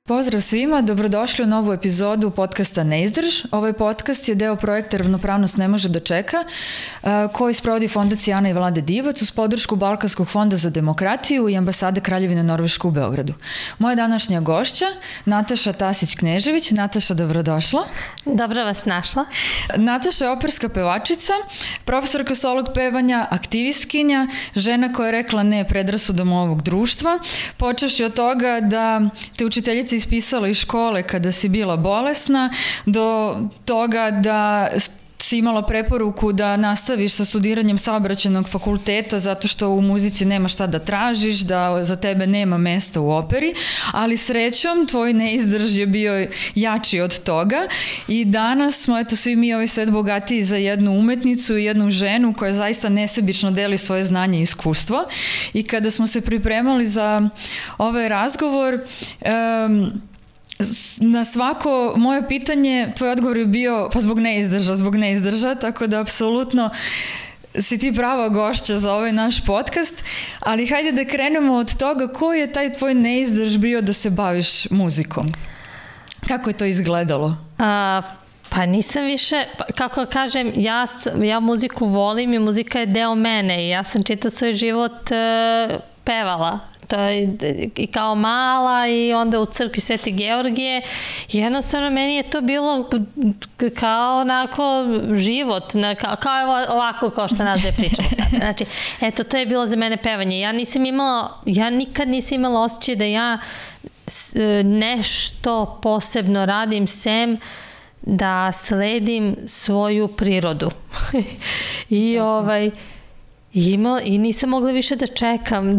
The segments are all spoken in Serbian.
Pozdrav svima, dobrodošli u novu epizodu podcasta Neizdrž. Ovaj podcast je deo projekta Ravnopravnost ne može da čeka, koji sprovodi Fondacija Ana i Vlade Divac uz podršku Balkanskog fonda za demokratiju i ambasade Kraljevine Norveške u Beogradu. Moja današnja gošća, Nataša Tasić-Knežević. Nataša, dobrodošla. Dobro vas našla. Nataša je operska pevačica, profesorka solog pevanja, aktivistkinja, žena koja je rekla ne predrasudom ovog društva, počevši od toga da te učiteljica ispisala iz škole kada si bila bolesna, do toga da si imala preporuku da nastaviš sa studiranjem saobraćajnog fakulteta zato što u muzici nema šta da tražiš, da za tebe nema mesta u operi, ali srećom tvoj neizdrž je bio jači od toga i danas smo svi mi ovaj svet bogatiji za jednu umetnicu i jednu ženu koja zaista nesebično deli svoje znanje i iskustvo. I kada smo se pripremali za ovaj razgovor, na svako moje pitanje tvoj odgovor je bio pa zbog neizdrža, tako da apsolutno si ti prava gošća za ovaj naš podcast, ali hajde da krenemo od toga koji je taj tvoj neizdrž bio da se baviš muzikom. Kako je to izgledalo? Pa nisam više, kako kažem, ja muziku volim i muzika je deo mene i ja sam čitav svoj život pevala. To je i kao mala i onda u crkvi Svete Georgije. Jednostavno meni je to bilo kao onako život, kao ovako kao što nas dve pričamo sad. Znači, eto, to je bilo za mene pevanje. Ja nikad nisam imala osjećaj da ja nešto posebno radim sem da sledim svoju prirodu. I nisam mogla više da čekam,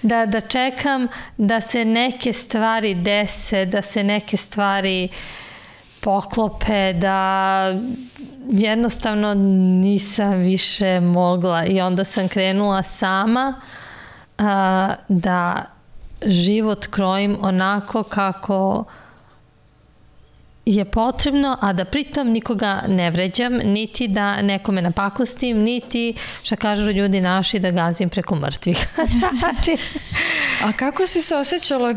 da čekam da se neke stvari dese, da se neke stvari poklope, da jednostavno nisam više mogla. I onda sam krenula sama da život krojim onako kako je potrebno, a da pritom nikoga ne vređam, niti da nekome napakostim, niti, šta kažu ljudi naši, da gazim preko mrtvih. A kako si se osjećala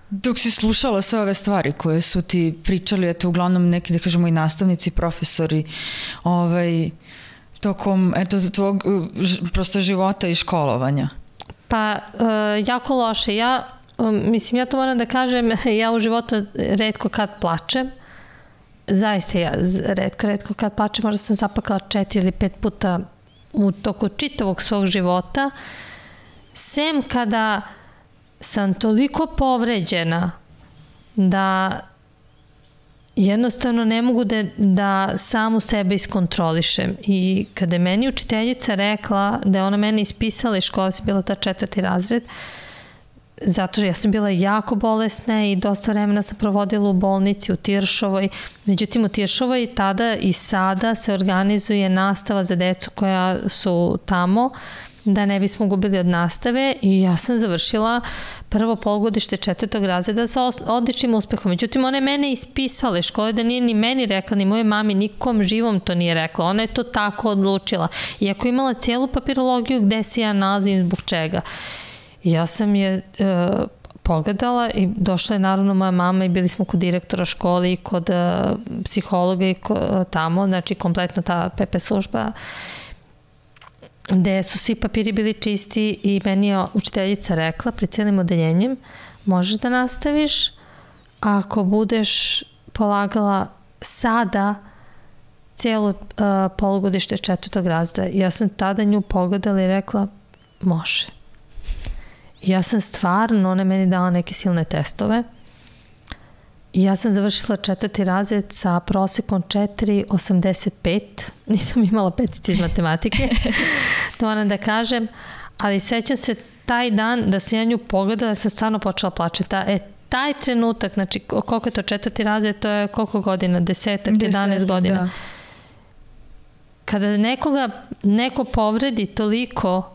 dok si slušala sve ove stvari koje su ti pričali, uglavnom neki, da kažemo, i nastavnici, profesori, tokom tvog prosto života i školovanja? Pa, jako loše. Ja to moram da kažem, ja u životu retko kad plačem. Zaista ja retko kad plačem, možda sam zapakala 4 ili 5 puta u toku čitavog svog života. Sem kada sam toliko povređena da jednostavno ne mogu da samu sebe iskontrolišem. I kada je meni učiteljica rekla da je ona mene ispisala iz škole, sam bila ta 4. razred, zato što ja sam bila jako bolesna i dosta vremena sam provodila u bolnici u Tiršovoj. Međutim, u Tiršovoj tada i sada se organizuje nastava za decu koja su tamo, da ne bismo gubili od nastave, i ja sam završila prvo polugodište 4. razreda sa odličnim uspehom. Međutim, ona je mene ispisala iz škole, da nije ni meni rekla, ni moje mami, nikom živom to nije rekla. Ona je to tako odlučila. Iako imala cijelu papirologiju gde se ja nalazim, zbog čega. Ja sam je pogledala i došla je naravno moja mama i bili smo kod direktora škole i kod psihologa i tamo, znači kompletno ta PP služba, gde su svi papiri bili čisti i meni je učiteljica rekla pred cijelim odeljenjem, možeš da nastaviš ako budeš polagala sada cijelo polugodište 4. razreda. Ja sam tada nju pogledala i rekla, može. Ja sam stvarno, ona je meni dala neke silne testove i ja sam završila 4. razred sa prosekom 4,85. Nisam imala petice iz matematike, to moram da kažem, ali sećam se taj dan da sam ja nju pogledala, da sam stvarno počela plačeti. Taj trenutak, znači koliko je to 4. razred, to je koliko godina, 11 godina. Da. Kada neko povredi toliko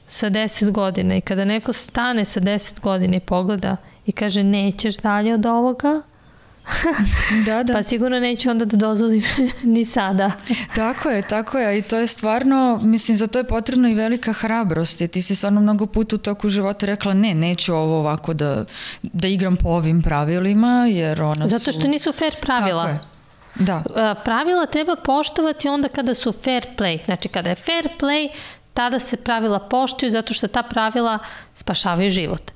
sa 10 godina i kada neko stane sa 10 godina i pogleda i kaže nećeš dalje od ovoga, Da. Pa sigurno neću onda da dozvolim ni sada. Tako je. I to je stvarno, mislim, za to je potrebno i velika hrabrost. I ti si stvarno mnogo puta u toku života rekla neću ovo ovako da igram po ovim pravilima, jer ona Zato što nisu fair pravila. Tako je. Da. Pravila treba poštovati onda kada su fair play. Znači, kada je fair play, tada se pravila poštuju zato što ta pravila spašavaju život.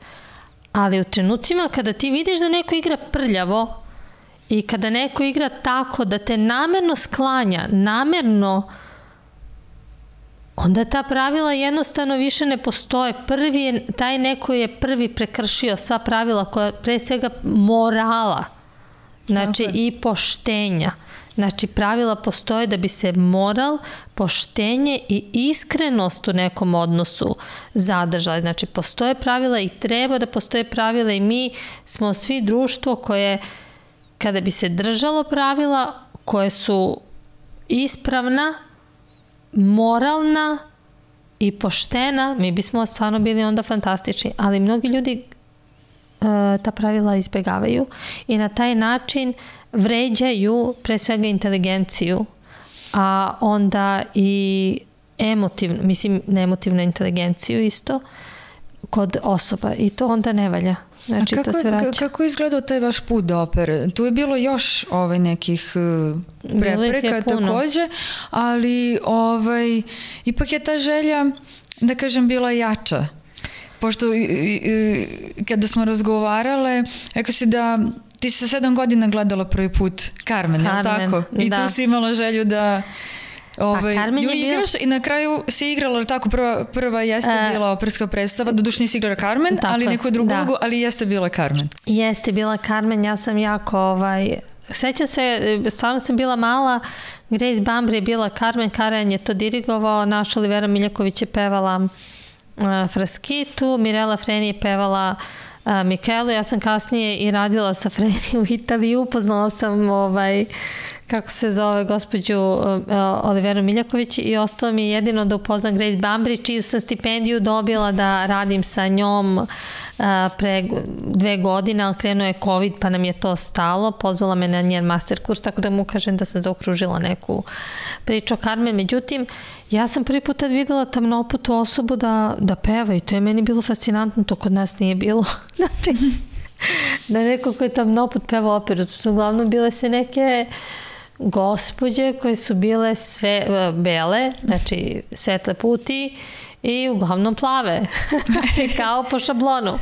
Ali u trenucima kada ti vidiš da neko igra prljavo i kada neko igra tako da te namerno sklanja, onda ta pravila jednostavno više ne postoje. Taj neko je prvi prekršio sva pravila koja pre svega morala, znači i poštenja. Znači, pravila postoje da bi se moral, poštenje i iskrenost u nekom odnosu zadržali. Znači, postoje pravila i treba da postoje pravila i mi smo svi društvo koje, kada bi se držalo pravila, koje su ispravna, moralna i poštena, mi bismo stvarno bili onda fantastični. Ali mnogi ljudi ta pravila izbjegavaju i na taj način vređaju pre svega inteligenciju, a onda i emotivnu inteligenciju isto kod osoba i to onda ne valja. Znači, to se vraća. Kako je izgledao taj vaš put do opere? Tu je bilo još nekih prepreka takođe, ali ipak je ta želja, da kažem, bila jača. Pošto kada smo razgovarale, rekao si da ti si 7 godina gledala prvi put Carmen, je li tako? I tu si imala želju da nju igraš i na kraju si igrala, tako, prva jeste bila operska predstava, doduše nisi igrala Carmen, ali neku drugu ulogu, ali jeste bila Carmen. Jeste bila Carmen, ja sam jako, sećam se, stvarno sam bila mala, Grace Bambri je bila Carmen, Karajan je to dirigovao, naša Olivera Miljaković je pevala Fraskitu, Mirela Freni je pevala Michaelu, ja sam kasnije i radila sa Freni u Italiji, upoznala sam kako se zove gospođu Oliveru Miljaković i ostalo mi je jedino da upoznam Grace Bambri, čiju sam stipendiju dobila da radim sa njom pre 2 godine, ali krenuo je COVID pa nam je to stalo, pozvala me na njen master kurs, tako da mu kažem da sam zaokružila neku priču o Carmen. Međutim, ja sam prvi put tad videla tamnoputu osobu da peva i to je meni bilo fascinantno, to kod nas nije bilo. Znači, da neko ko je tamnoput peva operu, to su uglavnom bile se neke gospođe koje su bile sve bele, znači svetle puti i uglavnom plave, kao po šablonu.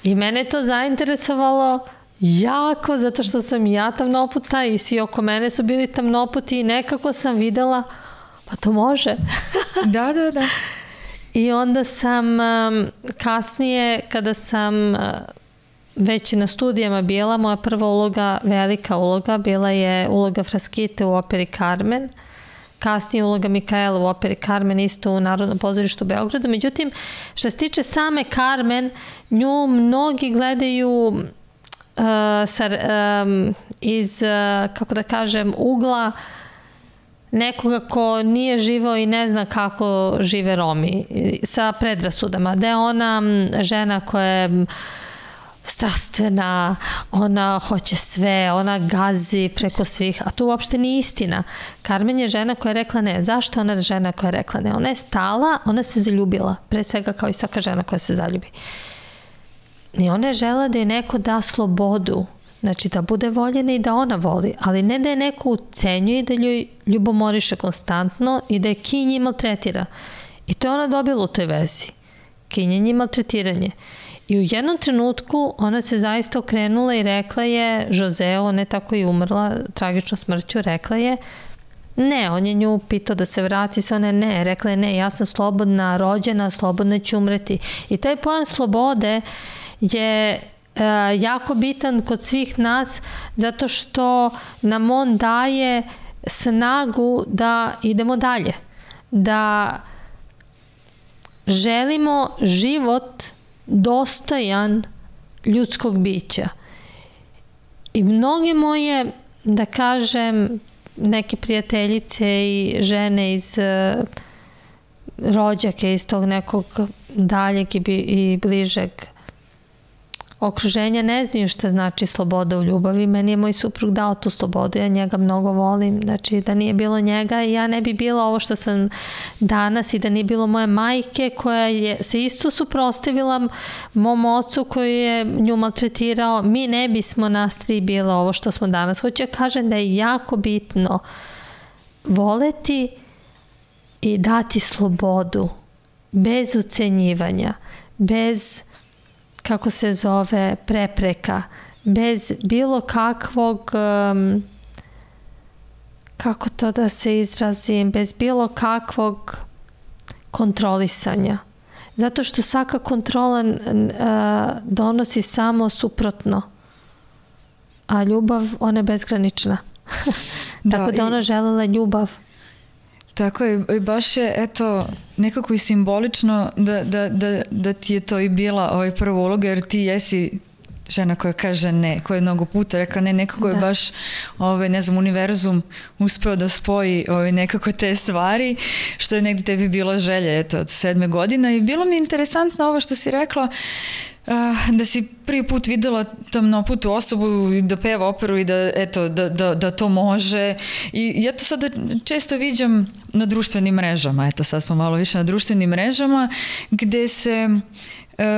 I mene to zainteresovalo jako, zato što sam ja tamnoputa i svi oko mene su bili tamnoputi i nekako sam videla, pa to može. Da. I onda sam kasnije, kada sam već na studijama bila, moja prva uloga, velika uloga, bila je uloga Fraskite u operi Carmen, kasnije uloga Michaela u operi Carmen isto u Narodnom pozorištu u Beogradu. Međutim, što se tiče same Carmen, nju mnogi gledaju iz, kako da kažem, ugla nekoga ko nije živao i ne zna kako žive Romi, sa predrasudama, da je ona žena koja je strastvena, ona hoće sve, ona gazi preko svih, a to uopšte nije istina. Carmen je žena koja je rekla ne. Zašto je ona žena koja je rekla ne? Ona je stala, ona se zaljubila, pre svega kao i svaka žena koja se zaljubi. I ona je žela da je neko da slobodu, znači da bude voljena i da ona voli, ali ne da je neko ucenjuje i da joj ljubomoriše konstantno i da je kinje i maltretira. I to je ona dobila u toj vezi. Kinjenje i maltretiranje. I u jednom trenutku ona se zaista okrenula i rekla je Joseo, ona je tako i umrla tragičnom smrću, rekla je ne, on je nju pitao da se vrati, se ona ne, rekla je ne, ja sam slobodna, rođena, slobodna ću umreti. I taj pojam slobode je jako bitan kod svih nas zato što nam on daje snagu da idemo dalje, da želimo život dostojan ljudskog bića. I mnoge moje, da kažem, neke prijateljice i žene iz rođake, iz tog nekog daljeg i bližeg okruženja ne znaju šta znači sloboda u ljubavi. Meni je moj suprug dao tu slobodu, ja njega mnogo volim. Znači, da nije bilo njega, ja ne bi bila ovo što sam danas i da nije bilo moje majke koja je se isto suprotstavila mom ocu koji je nju maltretirao. Mi ne bismo nas tri bila ovo što smo danas. Hoću ja kažem da je jako bitno voleti i dati slobodu bez ucenjivanja, bez, kako se zove, prepreka, bez bilo kakvog, kako to da se izrazim, bez bilo kakvog kontrolisanja. Zato što svaka kontrola donosi samo suprotno, a ljubav, ona je bezgranična. Tako da ona želela ljubav. Tako je, baš je, eto, nekako i simbolično da ti je to i bila prva uloga, jer ti jesi žena koja kaže ne, koja je mnogo puta rekla ne, nekako je baš, ne znam, univerzum uspeo da spoji nekako te stvari, što je negdje tebi bila želja, eto, od 7. godina. I bilo mi je interesantno ovo što si rekla, da si prvi put videla tamnoputu osobu i da peva operu i da, eto, da to može. I ja to sada često viđam na društvenim mrežama, eto sad smo malo više na društvenim mrežama, gde se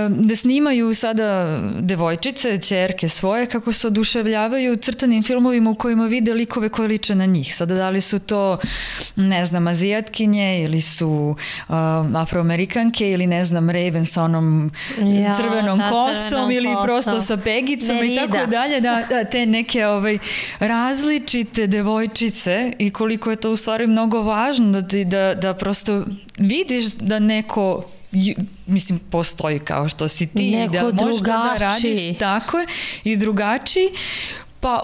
da snimaju sada devojčice, ćerke svoje, kako se oduševljavaju crtanim filmovima u kojima vide likove koje liče na njih. Sada da li su to, ne znam, azijatkinje ili su afroamerikanke ili ne znam, Raven sa onom crvenom kosom ili prosto sa pegicama i tako dalje. Da, te neke različite devojčice i koliko je to u stvari mnogo važno da prosto vidiš da neko mislim postoji kao što si ti, neko da možeš da radiš tako je i drugačiji. Pa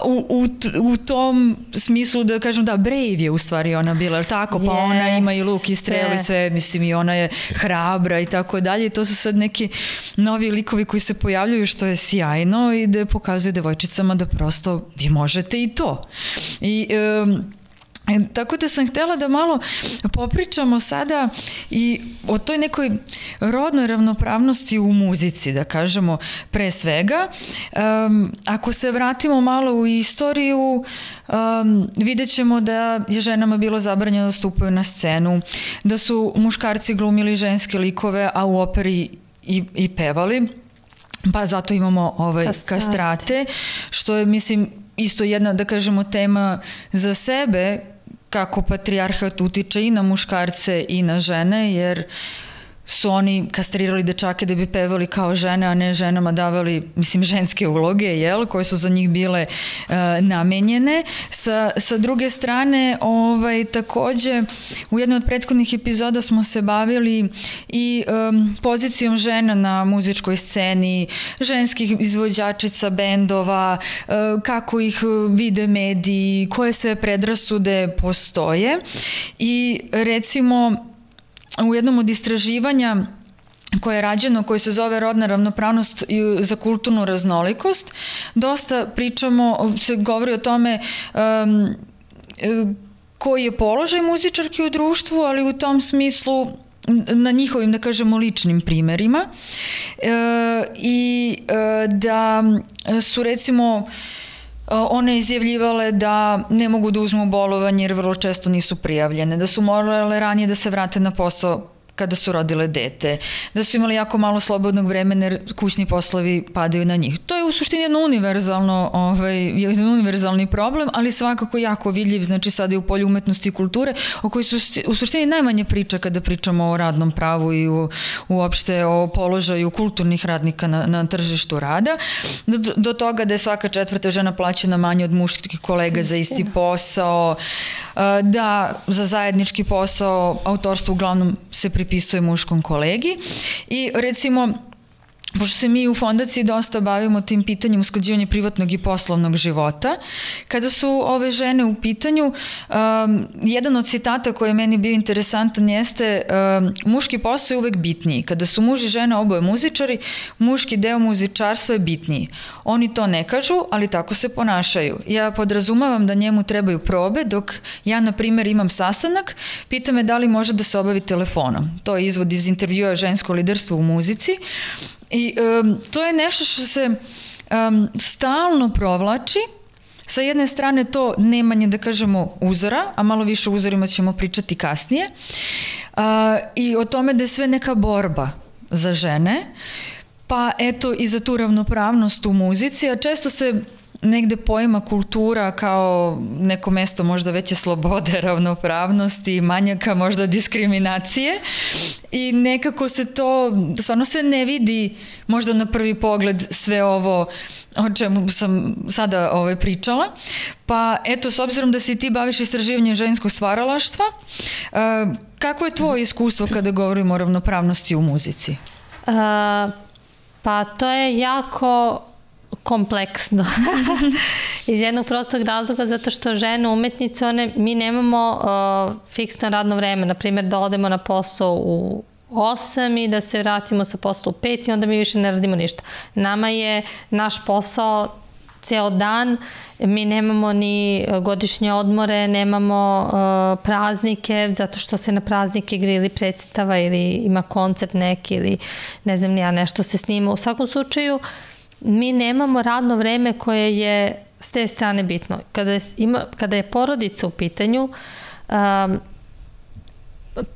u tom smislu da kažem da Brave je u stvari ona bila, tako? Pa ona ima i luk i strelu i sve, mislim i ona je hrabra i tako dalje. I to su sad neki novi likovi koji se pojavljaju što je sjajno i da pokazuju devojčicama da prosto vi možete i to. I tako da sam htjela da malo popričamo sada i o toj nekoj rodnoj ravnopravnosti u muzici, da kažemo pre svega. Ako se vratimo malo u istoriju, vidjet ćemo da je ženama bilo zabranjeno da stupaju na scenu, da su muškarci glumili ženske likove, a u operi i pevali. Pa zato imamo kastrate, što je, mislim, isto jedna, da kažemo, tema za sebe, kako patrijarhat utiče i na muškarce i na žene, jer su oni kastrirali dečake da bi pevali kao žene, a ne ženama davali, mislim, ženske uloge, koje su za njih bile namenjene. Sa druge strane, takođe, u jednoj od prethodnih epizoda smo se bavili i pozicijom žena na muzičkoj sceni, ženskih izvođačica bendova, kako ih vide mediji, koje sve predrasude postoje. I recimo, u jednom od istraživanja koje je rađeno, koje se zove rodna ravnopravnost za kulturnu raznolikost, dosta se govori o tome koji je položaj muzičarki u društvu, ali u tom smislu na njihovim, da kažemo, ličnim primerima i da su, recimo, one izjavljivale da ne mogu da uzmu bolovanje jer vrlo često nisu prijavljene, da su morale ranije da se vrate na posao kada su rodile dete, da su imali jako malo slobodnog vremena jer kućni poslovi padaju na njih. To je u suštini jedan univerzalni problem, ali svakako jako vidljiv, znači sada je u polju umetnosti i kulture, o kojoj su u suštini najmanje priča kada pričamo o radnom pravu i uopšte o položaju kulturnih radnika na tržištu rada, do toga da je svaka 4. žena plaćena manje od muških kolega za isti posao, da za zajednički posao autorstvo uglavnom se pripisuje muškom kolegi i recimo, pošto se mi u fondaciji dosta bavimo tim pitanjem usklađivanja privatnog i poslovnog života, kada su ove žene u pitanju, jedan od citata koji je meni bio interesantan jeste muški posao je uvek bitniji. Kada su muž i žena oboje muzičari, muški deo muzičarstva je bitniji. Oni to ne kažu, ali tako se ponašaju. Ja podrazumavam da njemu trebaju probe, dok ja, na primjer, imam sastanak, pita me da li može da se obavi telefonom. To je izvod iz intervjua Žensko liderstvo u muzici I to je nešto što se stalno provlači. Sa jedne strane to nemanje, da kažemo, uzora, a malo više o uzorima ćemo pričati kasnije, i o tome da je sve neka borba za žene, pa eto i za tu ravnopravnost u muzici, a često se negde poima kultura kao neko mesto možda veće slobode, ravnopravnosti, manjaka možda diskriminacije, i nekako se to, stvarno se ne vidi možda na prvi pogled sve ovo o čemu sam sada pričala. Pa eto, s obzirom da se ti baviš istraživanjem ženskog stvaralaštva, kako je tvoje iskustvo kada govorimo o ravnopravnosti u muzici? Pa to je jako kompleksno. Iz jednog prostog razloga, zato što žene umetnice, mi nemamo fiksno radno vreme. Naprimjer, da odemo na posao u 8 i da se vratimo sa posla u 5 i onda mi više ne radimo ništa. Nama je naš posao ceo dan, mi nemamo ni godišnje odmore, nemamo praznike, zato što se na praznike igra ili predstava ili ima koncert neki ili ne znam nija, nešto se snima. U svakom slučaju, mi nemamo radno vreme koje je s te strane bitno. Kada je porodica u pitanju,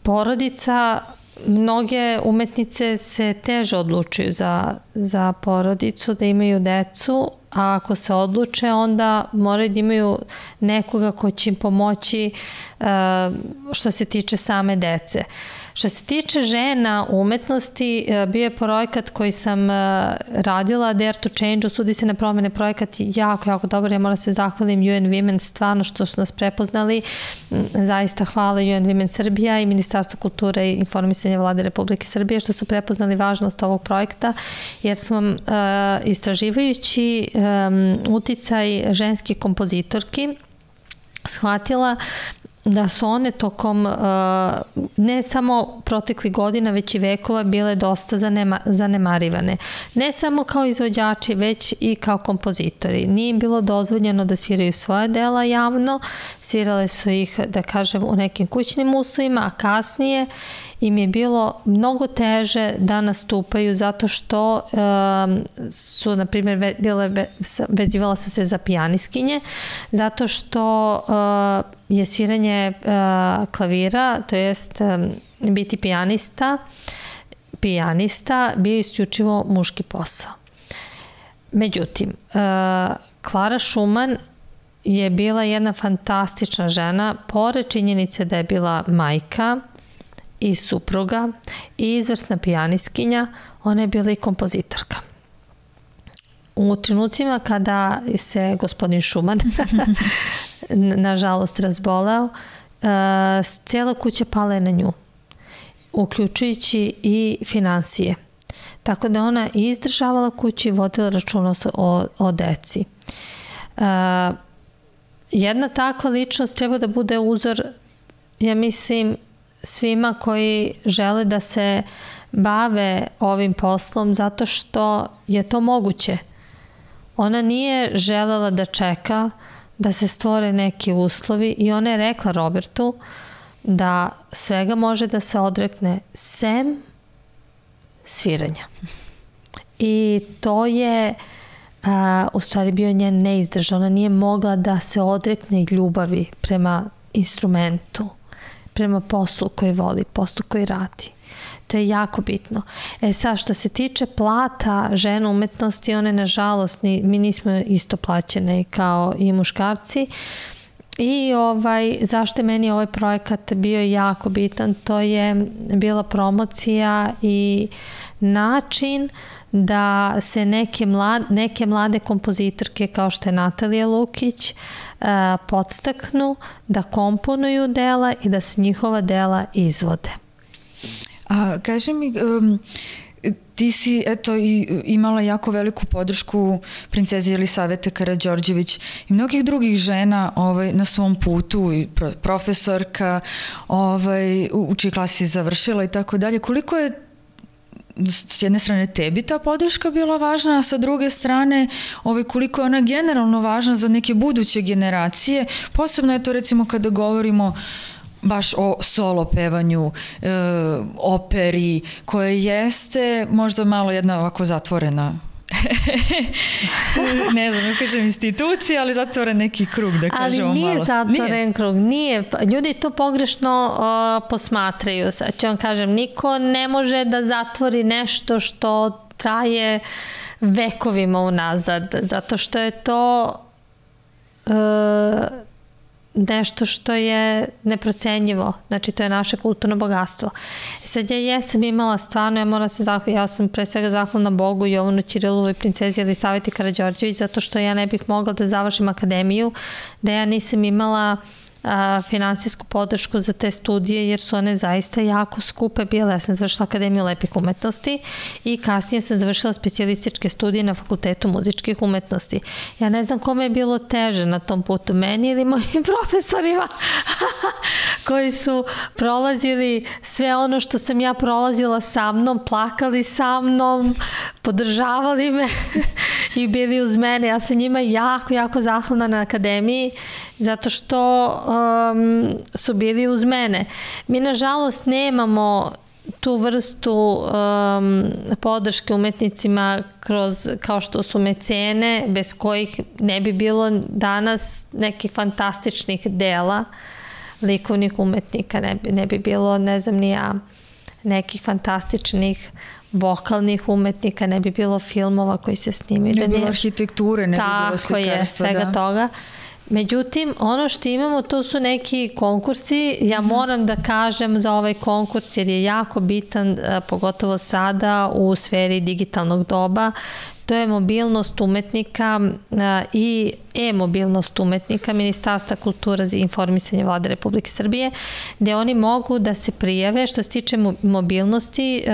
porodica, mnoge umetnice se teže odlučuju za porodicu, da imaju decu, a ako se odluče, onda moraju da imaju nekoga ko će im pomoći što se tiče same dece. Što se tiče žena u umetnosti, bio je projekat koji sam radila, Dare to Change, Usudi se na promene, projekat jako, jako dobar. Ja moram se zahvalim UN Women, stvarno što su nas prepoznali. Zaista hvala UN Women Srbija i Ministarstvo kulture i informisanja Vlade Republike Srbije što su prepoznali važnost ovog projekta, jer sam istraživajući uticaj ženskih kompozitorki shvatila da su one tokom ne samo proteklih godina, već i vekova bile dosta zanemarivane. Ne samo kao izvođači, već i kao kompozitori. Nije im bilo dozvoljeno da sviraju svoje dela javno, svirale su ih, da kažem, u nekim kućnim uslovima, a kasnije im je bilo mnogo teže da nastupaju zato što su, na primjer, vezivala se za pijaniskinje, zato što je sviranje klavira, to jest biti pijanista bio isključivo muški posao. Međutim, Klara Schumann je bila jedna fantastična žena, pored činjenice da je bila majka i supruga i izvrsna pijaniskinja, ona je bila i kompozitorka. U trenucima kada se gospodin Schumann nažalost razboleo, cijela kuća pala je na nju, uključujući i finansije. Tako da ona izdržavala kuću i vodila računa o deci. Jedna takva ličnost treba da bude uzor, ja mislim, svima koji žele da se bave ovim poslom, zato što je to moguće. Ona nije želela da čeka da se stvore neki uslovi i ona je rekla Robertu da svega može da se odrekne sem sviranja. I to je u stvari bio njen neizdržan. Ona nije mogla da se odrekne ljubavi prema instrumentu, prema poslu koji voli, poslu koji radi. To je jako bitno. Sad, što se tiče plata žena umetnosti, one, nažalost, mi nismo isto plaćene kao i muškarci. I zašto je meni ovaj projekat bio jako bitan, to je bila promocija i način da se neke mlade kompozitorke kao što je Natalija Lukić podstaknu da komponuju dela i da se njihova dela izvode. A kaži mi, ti si imala jako veliku podršku princeze Jelisavete Karađorđević i mnogih drugih žena na svom putu, i profesorka, u čiji klasi završila i tako dalje. Koliko je s jedne strane tebi ta podrška bila važna, a sa druge strane koliko je ona generalno važna za neke buduće generacije, posebno je to recimo kada govorimo baš o solo pevanju, operi, koje jeste možda malo jedna ovako zatvorena ne znam, kažem institucija, ali zatvoren neki krug, da kažemo malo. Ali nije zatvoren krug, nije. Ljudi to pogrešno posmatraju. Sad ću vam kažem, niko ne može da zatvori nešto što traje vekovima unazad, zato što je to nešto što je neprocenjivo. Znači, to je naše kulturno bogatstvo. Sad ja jesam imala stvarno, ja sam pre svega zahvalna Bogu, Jovanu Ćirilovoj, princezi Jelisaveti Karađorđević, zato što ja ne bih mogla da završim akademiju, da ja nisam imala finansijsku podršku za te studije, jer su one zaista jako skupe bile. Ja sam završila Akademiju lepih umetnosti i kasnije sam završila specijalističke studije na Fakultetu muzičkih umetnosti. Ja ne znam kome je bilo teže na tom putu, meni ili mojim profesorima koji su prolazili sve ono što sam ja prolazila sa mnom, plakali sa mnom, podržavali me i bili uz mene. Ja sam njima jako zahvalna na akademiji, zato što su bili uz mene. Mi, nažalost, nemamo tu vrstu podrške umetnicima kao što su mecene, bez kojih ne bi bilo danas nekih fantastičnih dela likovnih umetnika, ne bi bilo, ne znam ni ja, nekih fantastičnih vokalnih umetnika, ne bi bilo filmova koji se snimaju. Ne bi bilo arhitekture, ne bi bilo slikarstva. Tako je, svega toga. Međutim, ono što imamo, to su neki konkursi. Ja moram da kažem za ovaj konkurs, jer je jako bitan, pogotovo sada u sferi digitalnog doba. To je mobilnost umetnika i e-mobilnost umetnika Ministarstva kulture i informisanja Vlade Republike Srbije, gde oni mogu da se prijave. Što se tiče mobilnosti,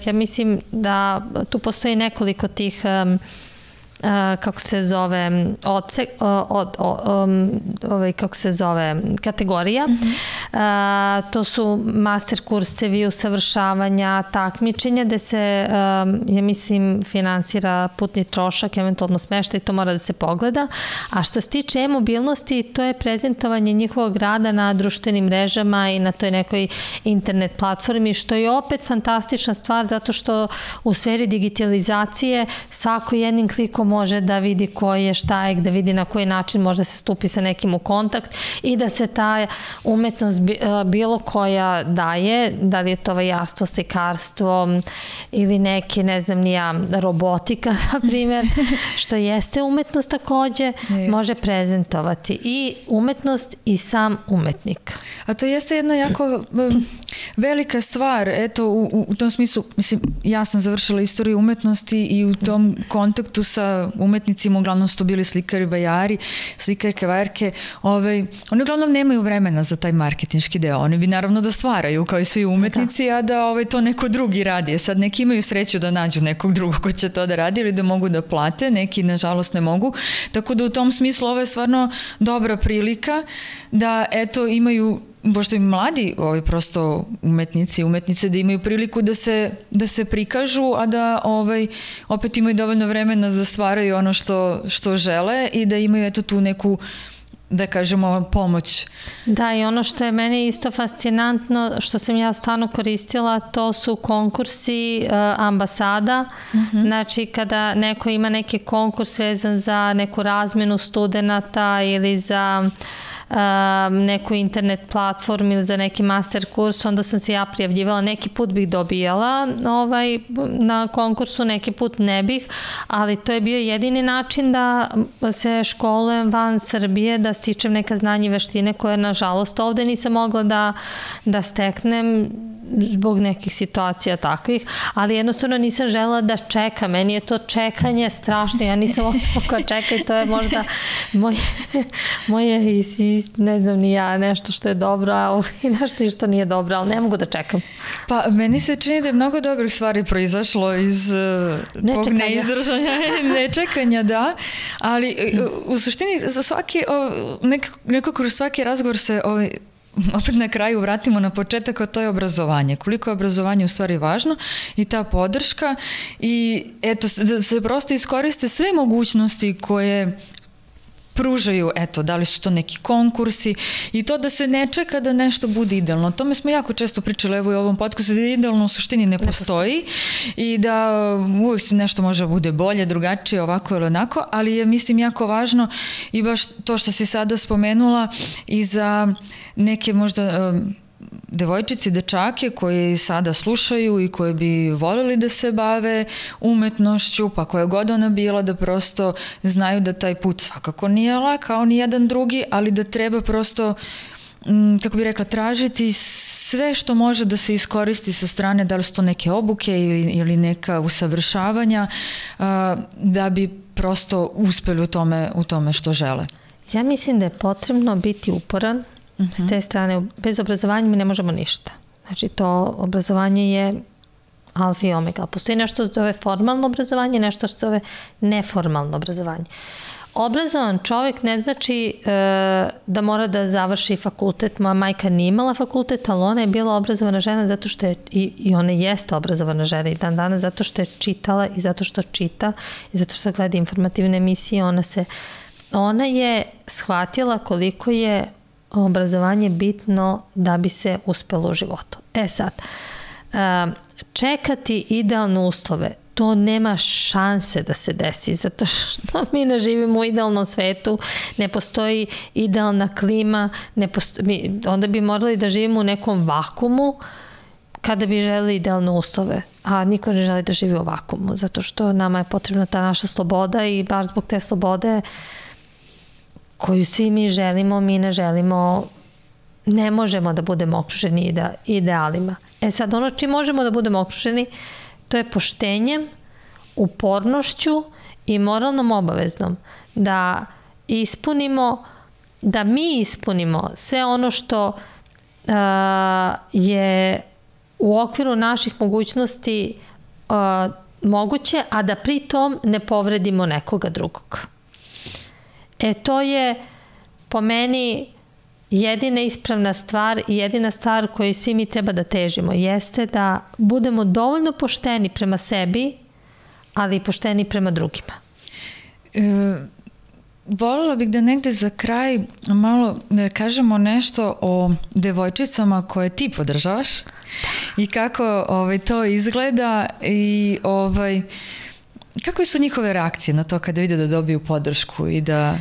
ja mislim da tu postoji nekoliko tih kako se zove kategorija. To su master kursevi, usavršavanja, takmičenja, gde se, ja mislim, finansira putni trošak, eventualno smeštaj, to mora da se pogleda. A što se tiče e-mobilnosti, to je prezentovanje njihovog rada na društvenim mrežama i na toj nekoj internet platformi, što je opet fantastična stvar, zato što u sferi digitalizacije svako jednim klikom može da vidi ko je, šta je, da vidi na koji način može da se stupi sa nekim u kontakt i da se ta umetnost bilo koja daje, da li je to vajarstvo, slikarstvo ili neki, ne znam ni ja, robotika, na primjer, što jeste umetnost takođe, može prezentovati i umetnost i sam umetnik. A to jeste jedna jako velika stvar. Eto, u tom smislu, mislim, ja sam završila istoriju umetnosti i u tom kontaktu sa umetnicima, uglavnom su to bili slikari, vajari, slikarke, vajarke, oni uglavnom nemaju vremena za taj marketinški deo. Oni bi naravno da stvaraju kao i svi umetnici, a da to neko drugi radi. Sad neki imaju sreću da nađu nekog drugog ko će to da radi ili da mogu da plate, neki nažalost ne mogu. Tako da u tom smislu ovo je stvarno dobra prilika da eto imaju, pošto i mladi prosto umetnici i umetnice, da imaju priliku da se prikažu, a da opet imaju dovoljno vremena da stvaraju ono što žele i da imaju eto tu neku, da kažemo, pomoć. Da, i ono što je meni isto fascinantno, što sam ja stvarno koristila, to su konkursi ambasada. Znači, kada neko ima neki konkurs vezan za neku razmenu studenata ili za neku internet platformu ili za neki master kurs, onda sam se ja prijavljivala. Neki put bih dobijala na konkursu, neki put ne bih, ali to je bio jedini način da se školujem van Srbije, da stičem neka znanja i veštine koje, nažalost, ovde nisam mogla da steknem zbog nekih situacija takvih, ali jednostavno nisam želela da čekam. Meni je to čekanje strašno, ja nisam osoba koja čeka i to je možda moje ne znam ni ja, nešto što je dobro i nešto što nije dobro, ali ne mogu da čekam. Pa meni se čini da je mnogo dobrih stvari proizašlo iz tvog neizdržanja, nečekanja, da, ali u suštini za svaki, nekako kroz svaki razgovor se opet na kraju vratimo na početak, a to je obrazovanje. Koliko je obrazovanje u stvari važno i ta podrška i eto, da se prosto iskoriste sve mogućnosti koje pružaju, eto, da li su to neki konkursi i to da se ne čeka da nešto bude idealno. O tome smo jako često pričali, evo i u ovom podcastu, da idealno u suštini ne postoji i da uvijek nešto može da bude bolje, drugačije, ovako ili onako, ali je, mislim, jako važno i baš to što si sada spomenula i za neke možda devojčice, dečake koji sada slušaju i koji bi voljeli da se bave umetnošću, pa koja god ona bila, da prosto znaju da taj put svakako nije lak kao ni jedan drugi, ali da treba prosto, kako bih rekla, tražiti sve što može da se iskoristi sa strane, da li su to neke obuke ili neka usavršavanja, da bi prosto uspeli u tome što žele. Ja mislim da je potrebno biti uporan. S te strane, bez obrazovanja mi ne možemo ništa. Znači, to obrazovanje je alfa i omega. Postoji nešto što se zove formalno obrazovanje, nešto što se zove neformalno obrazovanje. Obrazovan čovjek ne znači da mora da završi fakultet. Moja majka nije imala fakultet, ali ona je bila obrazovana žena zato što je, i ona jeste obrazovana žena i dan danas, zato što je čitala i zato što čita i zato što gleda informativne emisije. Ona je shvatila koliko je obrazovanje bitno da bi se uspelo u životu. Sad, čekati idealne uslove, to nema šanse da se desi, zato što mi ne živimo u idealnom svetu, ne postoji idealna klima, onda bi morali da živimo u nekom vakumu kada bi želeli idealne uslove, a niko ne želi da živi u vakumu, zato što nama je potrebna ta naša sloboda i baš zbog te slobode koju svi mi želimo, mi ne želimo, ne možemo da budemo okruženi idealima. Sad, ono čim možemo da budemo okruženi, to je poštenjem, upornošću i moralnom obaveznom da mi ispunimo sve ono što je u okviru naših mogućnosti moguće, a da pritom ne povredimo nekoga drugog. To je po meni jedina ispravna stvar i jedina stvar koju svi mi treba da težimo jeste da budemo dovoljno pošteni prema sebi, ali i pošteni prema drugima. Voljela bih da negde za kraj malo kažemo nešto o devojčicama koje ti podržavaš i kako to izgleda i kakve su njihove reakcije na to kada vide da dobiju podršku i da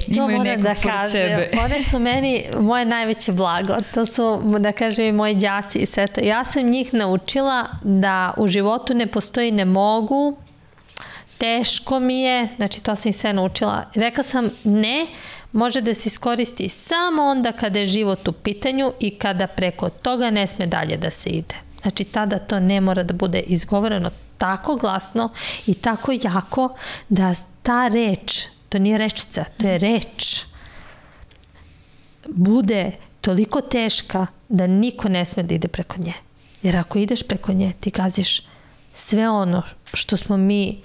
imaju nekog pored sebe? One su meni moje najveće blago. To su, da kažem, i moji đaci i sve to. Ja sam njih naučila da u životu ne postoji ne mogu, teško mi je, znači to sam ih sve naučila. Rekla sam ne, može da se iskoristi samo onda kada je život u pitanju i kada preko toga ne sme dalje da se ide. Znači tada to ne mora da bude izgovoreno tako glasno i tako jako da ta reč, to nije rečica, to je reč, bude toliko teška da niko ne sme da ide preko nje. Jer ako ideš preko nje, ti gaziš sve ono što smo mi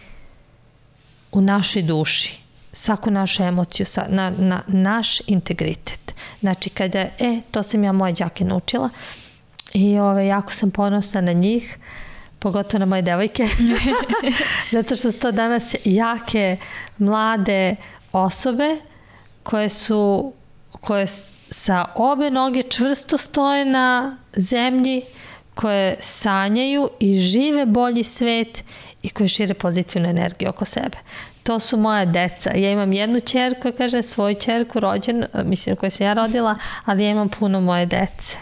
u našoj duši, svaku našu emociju, na naš integritet. Znači, kada, to sam ja moje đake naučila i jako sam ponosna na njih, pogotovo na moje devojke, zato što su to danas jake, mlade osobe koje sa obe noge čvrsto stoje na zemlji, koje sanjaju i žive bolji svet i koje šire pozitivnu energiju oko sebe. To su moja deca. Ja imam jednu ćerku, svoju ćerku rođenu, mislim koju sam ja rodila, ali ja imam puno moje dece.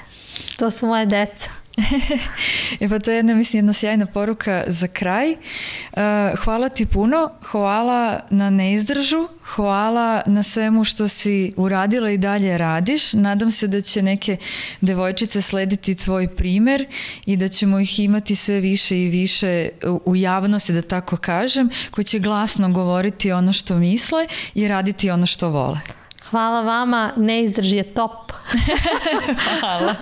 To su moje deca. Pa to je jedna sjajna poruka za kraj. Hvala ti puno, hvala na neizdržu, hvala na svemu što si uradila i dalje radiš. Nadam se da će neke devojčice slediti tvoj primer i da ćemo ih imati sve više i više u javnosti, da tako kažem, koji će glasno govoriti ono što misle i raditi ono što vole. Hvala vama, neizdrž je top. Hvala.